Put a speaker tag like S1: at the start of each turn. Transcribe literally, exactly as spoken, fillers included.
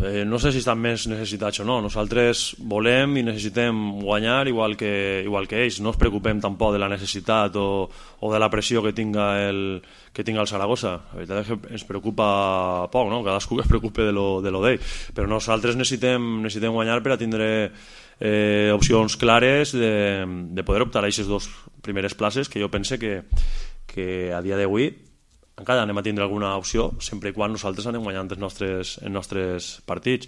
S1: eh, no sé si estan més necessitats o no. Nosaltres volem i necessitem guanyar igual que, igual que ells. No ens preocupem tampoc de la necessitat o, o de la pressió que tinga el, que tinga el Saragossa. La veritat és que ens preocupa poc, no? Cadascú que es preocupe de lo, de lo d'ell. Però nosaltres necessitem, necessitem guanyar per a tindre eh, opcions clares de, de poder optar a aquestes dues primeres places, que jo pense que, que a dia d'avui encara anem a tindre alguna opció sempre i quan nosaltres anem guanyant els nostres, els nostres partits.